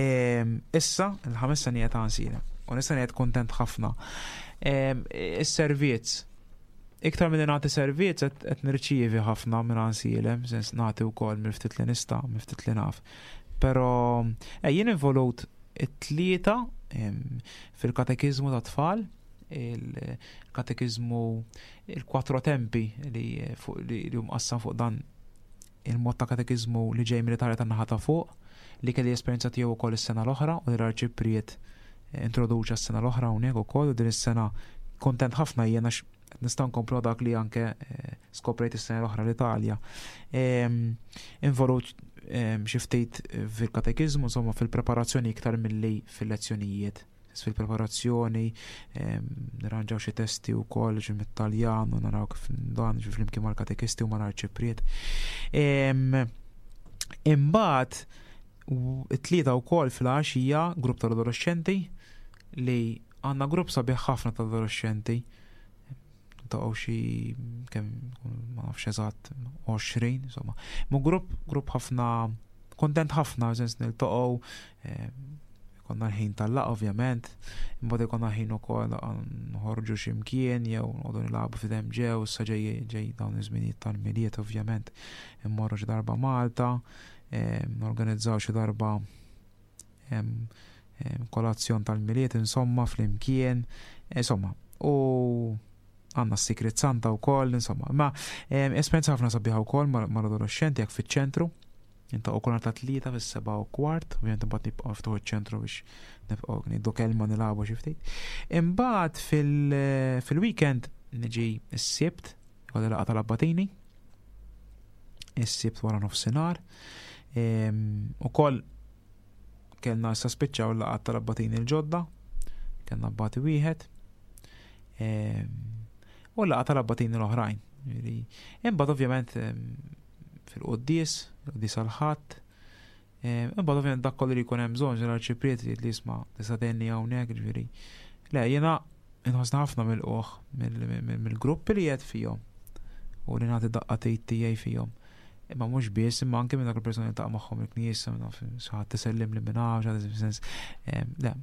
Ehm, Issa, il-ħames sena qiegħed Għajnsielem, u nista' ngħid kontent ħafna. Ehm, Is-servizz, iktar minn nagħti servizz qed qed nirċievi ħafna minn Għajnsielem, sens nagħti wkoll mill-ftit li nista' mill-ftit li naf. Però eh, jien involut it-tlieta em, fil-katekiżmu ta' tfal, il-katekiżmu il-quattro tempi li fuq li li hum qassam fuq dan il-mod ta' katekiżmu li ġej mill-Italja tan-naħa ta' fuq li kelli esperjenza tiegħu wkoll is-sena l-oħra u li l-arċipriet introduċa s-sena l-oħra hawnhekk ukoll u din is-sena kontent ħafna jiena għax nista' nkomplu dak li anke eh, skoprejt is-sena l-oħra l-Italja. Em, Involut em, xi ftit fil-katekiżmu, insomma fil-preparazzjoni iktar milli fil-lezzjonijiet. Fil-preparazzjoni, em, nirranġaw xi testi wkoll ġi mit-Taljan u naraw kif dan ġi flimkien mal-katekisti u mal-arċipriet. Em, Imbagħad u- it-tlieta wkoll fil-għaxija grupp tal-adolescenti li għandna grupp sabiħ ħafna tal-adolescenti ta' xi kemm ma nafx eżatt għoxrin insomma. Mu grupp grupp ħafna kontent ħafna sens niltaqgħu eh, konna l-ħin tal-laqgħa ovvjament, imbagħad ikonna ħin ukoll noħorġu xi mkien jew noqogħdu nilagħbu f'idem ġew, issa ġej ġej dawn iż-żminijiet tal-Milied ovvjament immorru xi darba Malta, eh, norganizzaw xi darba em, em, kolazzjon tal-Milied insomma flimkien, insomma, u Għandna s-Secret Santa wkoll, insomma. Ma esperjenza ħafna sabiħa wkoll mal-adolescenti jekk fiċ-ċentru. Inta u kol ta' tlieta fis-seba' u kwart, ovvjament imbagħad nibqgħu niftuħu ċ-ċentru biex nibqgħu ngħidu kelma nilagħbu xi ftit. Imbagħad fil-weekend niġi s-Sibt, ikolli laqgħa tal-Abbatini. Is-Sibt wara nofsinhar. Ukoll kellna issa spiċċaw laqgħat tal-Abbatini l-ġodda, kellna abbati wieħed. U laqgħa tal-Abbatini l-oħrajn. Imbagħad ovvjament fil-quddies, il-quddies għal-Ħadd. Imbagħad ovvjament dak kollu li jkun hemm bżonn l-arċipriet li jisma' tista' tgħinni hawnhekk, ġifieri. Le, jiena inħossna ħafna mill-qoħ mill-gruppi li qed fihom u li nagħti daqqa tiegħi fihom. Imma mhux biss, imma anke minn dak il-persuni li taqa' magħhom il-knisja, xi ħadd tisellim li minn hawn, xi sens. Le,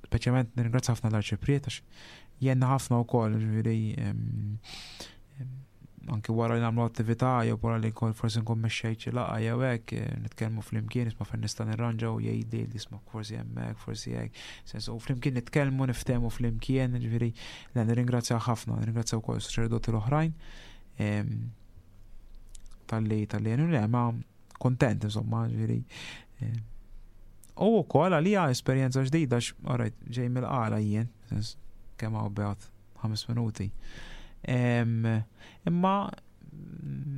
speċjalment nirringrazzja ħafna l-arċipriet għax jenna ħafna wkoll, ġifieri anke wara li nagħmlu attività jew wara li nkun forsi nkun mexxejt xi laqgħa jew hekk, nitkellmu flimkien isma' fejn nista' nirranġa u jgħidli li isma' forsi hemmhekk, forsi hekk. Sens u flimkien nitkellmu, niftehmu flimkien, ġifieri le nirringrazzja ħafna, nirringrazzja wkoll is-saċerdoti l-oħrajn talli talli jenu le ma kontent insomma, ġifieri. U wkoll għalija esperjenza ġdida għax ġej mill-qala jien, sens kemm hawn beat ħames minuti. Imma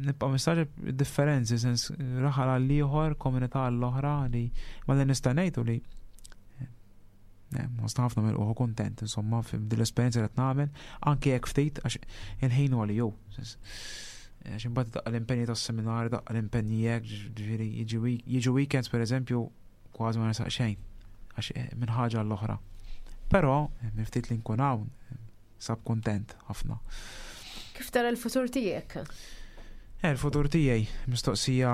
nibqa' mistagħġeb differenzi, sens raħal għal ieħor, komunità għall-oħra li ma li nista' ngħidu li nħossna ħafna mill kontent insomma f'din l-esperjenza li qed nagħmel, anke jekk ftit għax il-ħin huwa li jew. Għax imbagħad daqqa l-impenji tas-seminar, daqqa l-impenji hekk, ġifieri jiġu weekends pereżempju kważi ma nisaq xejn għax minn ħaġa l-oħra. Però minn ftit li nkun hawn sab kontent ħafna. Kif tara l-futur tiegħek? Eh, il-futur tiegħi mistoqsija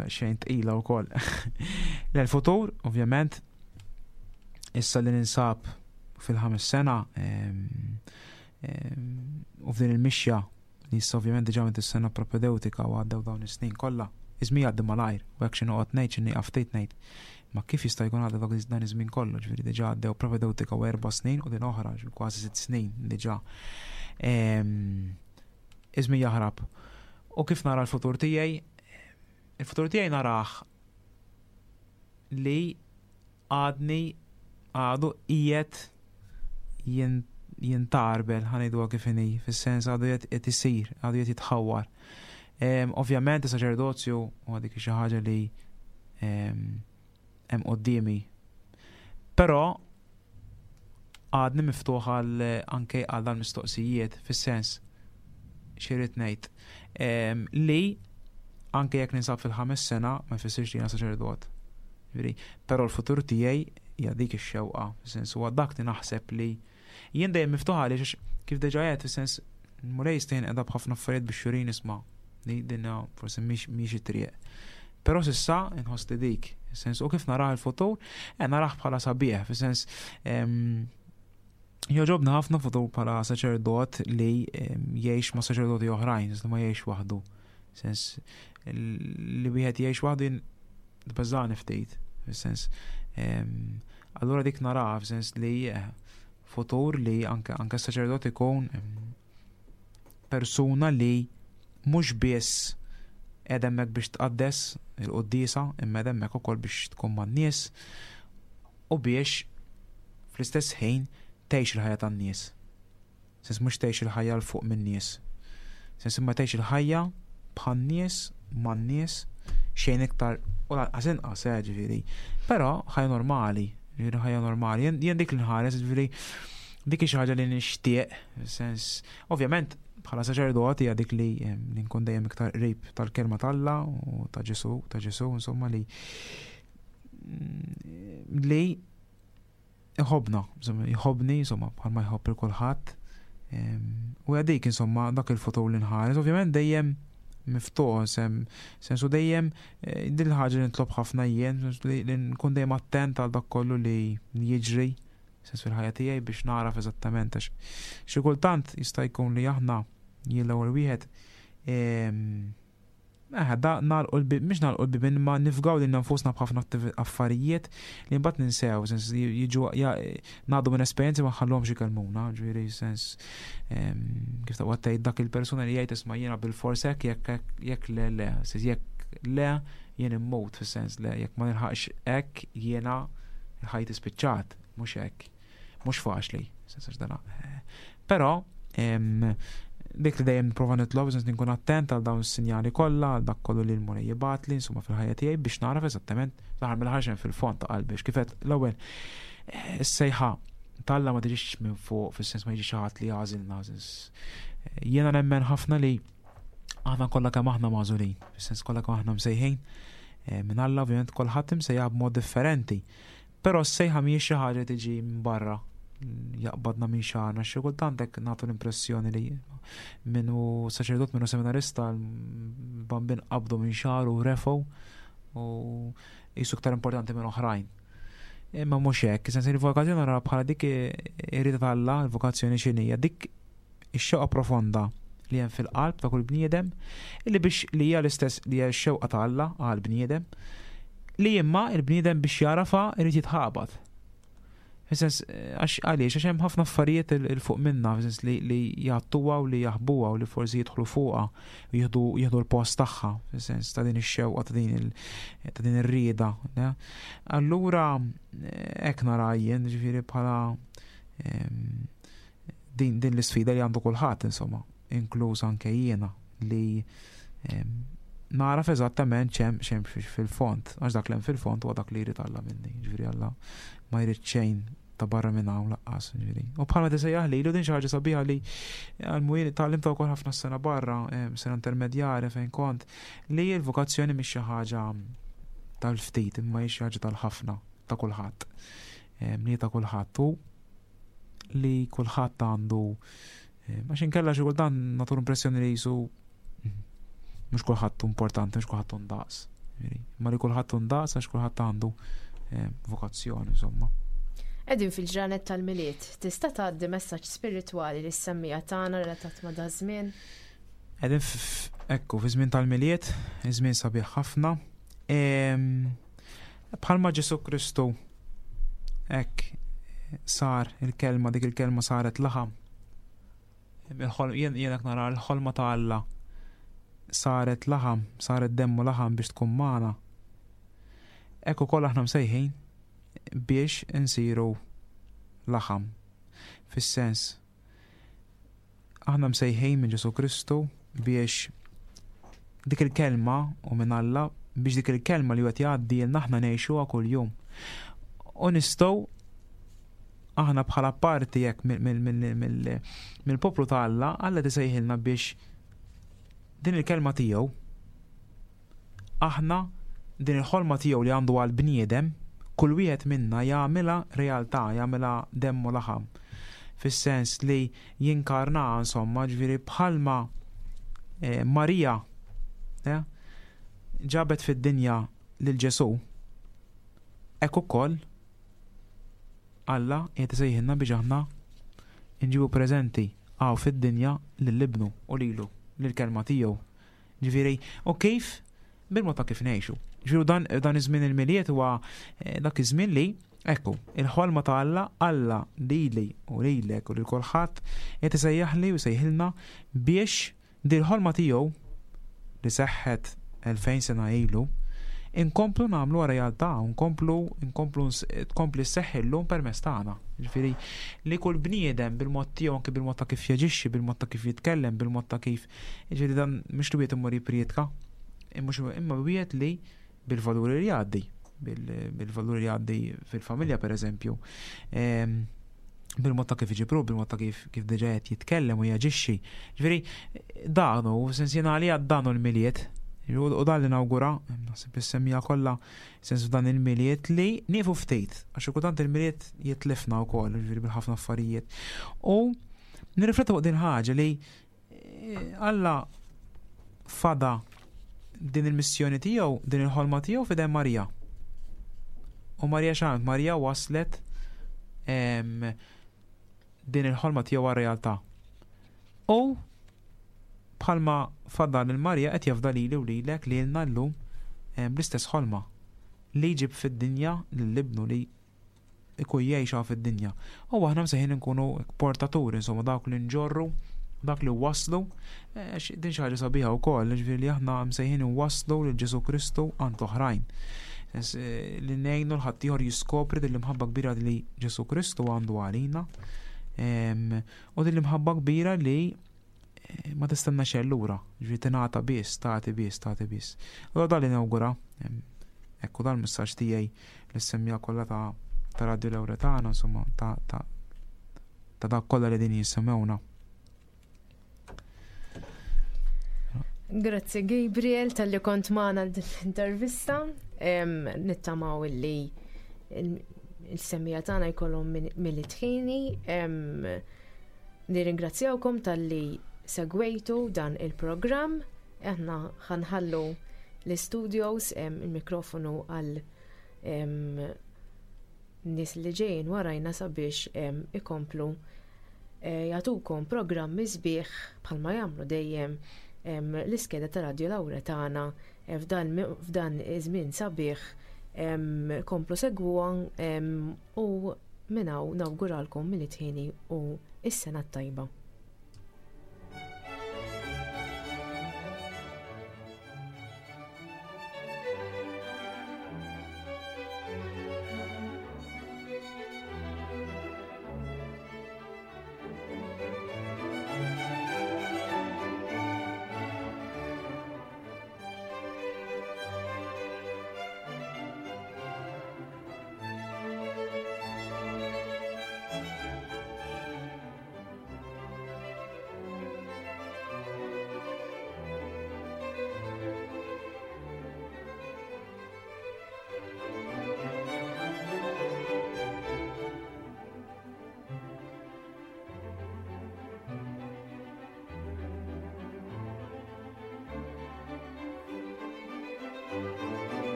xejn tqila wkoll. Le l-futur, ovvjament, issa li ninsab fil-ħames sena u f'din il-mixja li issa ovvjament diġà minn is-sena propedeutika u għaddew dawn is-snin kollha. Iż-żmien jgħaddi malajr u hekk xi noqgħod ngħid xi nieqaf ftit ngħid. Ma kif jista' jkun għadda dak dan iż-żmien kollu, ġifieri diġà għaddew propedeutika u erba' snin u din oħra, kważi sitt snin diġà. Iż-żmien jaħrab. U kif nara l-futur tiegħi? Il-futur tiegħi narah li għadni għadu qiegħed jintarbel, ħa ngħiduha kif inhi, fis-sens għadu qed isir, għadu qed jitħawwar. Ovvjament is-saċerdozju huwa dik xi ħaġa li hemm quddiemi. Però għadni miftuħ għal anke għal dan mistoqsijiet fis-sens xi rrid ngħid li anke jekk ninsab fil-ħames sena ma jfissirx li jiena saċerdot. Però l-futur tiegħi hija dik ix-xewqa, fis-sens huwa dak li naħseb li jien dejjem miftuħ għaliex kif diġà għedt fis-sens Mulej jista' jinqeda b'ħafna affarijiet biex jurini isma' li dinna forsi mhix it-triq. Però s'issa inħoss li dik, sens u kif narah il-futur, eh, narah bħala sabiħ, fis-sens jogħġobna ħafna futur bħala saċerdot li jgħix ma' saċerdoti oħrajn, li ma jgħix waħdu. Sens li wieħed jgħix waħdu tbeżżani ftit, fis-sens allura dik narah fis-sens li eh, futur li anke anke saċerdot ikun persuna li mhux biss qiegħda hemmhekk biex tqaddes il-quddiesa, imma qiegħda hemmhekk ukoll biex tkun man-nies u biex fl-istess ħin tgħix il-ħajja tan-nies. Sens mhux tgħix il-ħajja 'l fuq min-nies. Sens imma tgħix il-ħajja bħan-nies, man-nies, xejn iktar u lanqas inqas, eh, ġifieri. Però ħajja normali, ġifieri ħajja normali. Jien dik li nħares, ġifieri dik xi ħaġa li nixtieq, sens ovvjament bħala saċerdot hija dik li li nkun dejjem iktar qrib tal-kelma t'Alla u ta' Ġesu, ta' Ġesu, insomma li li iħobna, insomma, jħobni, insomma, bħalma jħobb il kulħadd. U hija dik, insomma, dak il-futur li nħares, ovvjament dejjem miftuħ, sem, sensu dejjem eh, din il-ħaġa li nitlob ħafna jien, li, li nkun dejjem attent għal dak kollu li jiġri sens fil-ħajja tiegħi biex naraf eżattament għax xi kultant jista' jkun li aħna jien l-ewwel wieħed Eh, da nagħlqu l-bib, mhux nagħlqu l-bibien ma nifgaw lilna nfusna b'ħafna affarijiet li mbagħad ninsew, sens jiġu ngħaddu minn esperjenzi ma nħalluhomx ikellmuna, ġifieri sens kif taqgħod tgħid dak il-persuna li jgħid isma' jiena bil-fors hekk jekk jekk le le, sens jekk le jien immut fis-sens le jekk ma nilħaqx hekk jiena ħajti spiċċat, mhux hekk. Mhux faċli, sens għax dana. Però dik li dejjem nipprova nitlob sens nkun attent għal dawn is-sinjali kollha, għal dak kollu li l-Mulej jibgħatli insomma fil-ħajja tiegħi biex nagħraf eżattament fl-aħħar mill-aħħar fil-fond ta' qalbi. Kif għedt l-ewwel is-sejħa t'Alla ma tiġix minn fuq fis-sens ma jiġix xi ħadd li jagħżilna. Jiena nemmen ħafna li aħna kollha kemm aħna magħżulin, fis-sens kollha kemm aħna msejħin minn Alla, ovvjament kulħadd imsejjaħ b'mod differenti. Però s-sejħa mhijiex xi ħaġa tiġi minn barra, jaqbadna minn xagħarna, xi kultant hekk nagħtu l-impressjoni li minnu saċerdot, minnu seminarista, l-bambin qabdu minn xagħru u refgħu u jisu iktar importanti minn oħrajn. Imma mhux hekk, sens il-vokazzjoni nara bħala dik ir-rieda t'Alla, il-vokazzjoni x'inhija, dik ix-xewqa profonda li hemm fil-qalb ta' kull bniedem, illi biex li hija l-istess li hija x-xewqa ta' Alla għal bniedem, li imma il-bniedem biex jarafa irid jitħabat. Fis-sens, għax għaliex, għax hemm ħafna affarijiet il fuq minna, fis-sens li, li jgħattuha u li jaħbuha u li forsi jidħlu fuqha u jieħdu, jieħdu l-post tagħha, fis-sens ta' din ix-xewqa, ta' din il, ta' din ir-rieda, ne? Allura hekk nara jien, ġifieri bħala, em, din, din l-isfida li għandu kulħadd, insomma, inkluż anke jiena, li, em, naraf eżattament x'hemm, x'hemm fil-fond, għax dak li hemm fil-fond huwa dak li jrid Alla minni, ġifieri Alla ma jrid xejn ta' barra minn hawn laqqas, ġifieri. U bħalma tisejjaħ lilu din xi ħaġa sabiħa li għall-mujien tgħallimtha wkoll ħafna sena barra, em, sena intermedjari fejn kont, li l-vokazzjoni mhix xi ħaġa tal-ftit, imma hi xi ħaġa tal-ħafna, ta' kulħadd. Em, li ta' kulħadd u li kulħadd għandu, em, għax inkella xi kultant nagħtu l-impressjoni li jisu mhux kulħadd importanti, mhux kulħadd ndaqs. Ġifieri, imma li kulħadd ndaqs għax kulħadd għandu, em, vokazzjoni, insomma. Qegħdin fil-ġranet tal-Milied, tista' tgħaddi messaġġ spiritwali lis semmiegħa tagħna relatat ma' daż-żmien? Qegħdin f-, ekku, fi żmien tal-Milied, żmien sabiħ ħafna. Em, bħalma Ġesu Kristu hekk sar il-kelma, dik il-kelma saret laħam. Il-ħol-, jien, jien hekk nara l-ħolma ta' Alla saret laħam, saret demmu laħam biex tkun magħna. Hekk ukoll aħna msejħin biex insiru laħam. Fis-sens, aħna msejħin minn Ġesu Kristu biex dik il-kelma u minn Alla, biex dik il-kelma li qed jgħaddi lilna aħna ngħixuha kuljum. U nistgħu aħna bħala parti hekk mill-, mill-, mill-, mill-poplu ta' Alla, Alla tisejħilna biex din il-kelma tiegħu aħna din il-ħolma tiegħu li għandu għal bniedem, kull wieħed minna jagħmilha realtà, jagħmilha demmu laħam. Fis-sens li jinkarna, insomma, ġifieri bħalma, eh, Marija, eh, ġabet fid-dinja lil Ġesu, hekk ukoll Alla qiegħed isejħilna biex aħna nġibu preżenti hawn fid-dinja lil ibnu u lilu, lill-kelma tiegħu. Ġifieri, u kif? Bil-mod ta' kif ngħixu. Ġifieri dan, dan iż-żmien il-Milied huwa, eh, dak iż-żmien li, ekku, il-ħolma ta' Alla, Alla lili u lilek u lil kulħadd qed isejjaħli u jsejħilna biex din il-ħolma tiegħu li seħħet elfejn sena ilu, inkomplu nagħmlu realtà, nkomplu, nkomplu ns-, tkompli sseħħ illum permezz tagħna. Ġifieri li kull bniedem bil-mod tiegħu, anke bil-mod ta' kif jaġixxi, bil-mod ta' kif jitkellem, bil-mod ta' kif, ġifieri dan mhux li wieħed imur jipprietka, imma xu-, imma wieħed li bil-valuri li jgħaddi, bil-, bil-valuri li jgħaddi fil-familja pereżempju, ehm, bil-mod ta' kif iġibru, bil-mod ta' kif, kif diġà qed jitkellem u jaġixxi. Ġifieri dan hu, sens jiena għalija dan hu l-Milied. U, u dan li nawgura, naħseb is-semmiegħa kollha, sens f'dan il-Milied li nieqfu ftit, għax kultant il-Milied jitlifna wkoll, ġifieri bil-ħafna affarijiet. U nirriflettu fuq din ħaġa li, eh, Alla fada din il-missjoni tiegħu, din il-ħolma tiegħu f'idejn Marija. U Marija x'għamlet? Marija waslet, em, din il-ħolma tiegħu għar-realtà. U Bħalma fadal lil Marija qed jafda lili u lilek lilna llum bl-istess ħolma li jġib fid-dinja lil ibnu li ikun jgħixha fid-dinja. U aħna msejħin nkunu portaturi, insomma, dawk li nġorru, dak li waslu, eh, din xi ħaġa sabiħa wkoll, ġifieri li aħna msejħin waslu lil Ġesu Kristu għand oħrajn. Eh, li ngħinu 'l ħaddieħor jiskopri din l-imħabba kbira li Ġesu Kristu għandu għalina. U din l-imħabba kbira li eh, ma tistenna xejn lura, ġifieri tingħata biss, tagħti biss, tagħti biss. U dan li nawgura, ekku dal-messaġġ tiegħi lis-semmiegħa kollha ta' ta' Radio Lauretana, insomma, ta' ta' ta' dak kollha li din jisimgħuna. Grazzi Gabriel talli kont magħna l-intervista. Nittamaw illi il-semmiegħa tagħna jkollhom mill-tħini. Nirringrazzjawkom talli segwejtu dan il-programm. Aħna ħanħallu l-studios, il-mikrofonu għal nies li ġejjin warajna sabiex ikomplu eh, jagħtukom programmi sbieħ bħalma jagħmlu dejjem l-iskeda ta' Radio Lauretana eh, f'dan iż-żmien sabiħ. Komplu segwuha u minn hawn nawguralkom mill-tħini u s-sena t-tajba.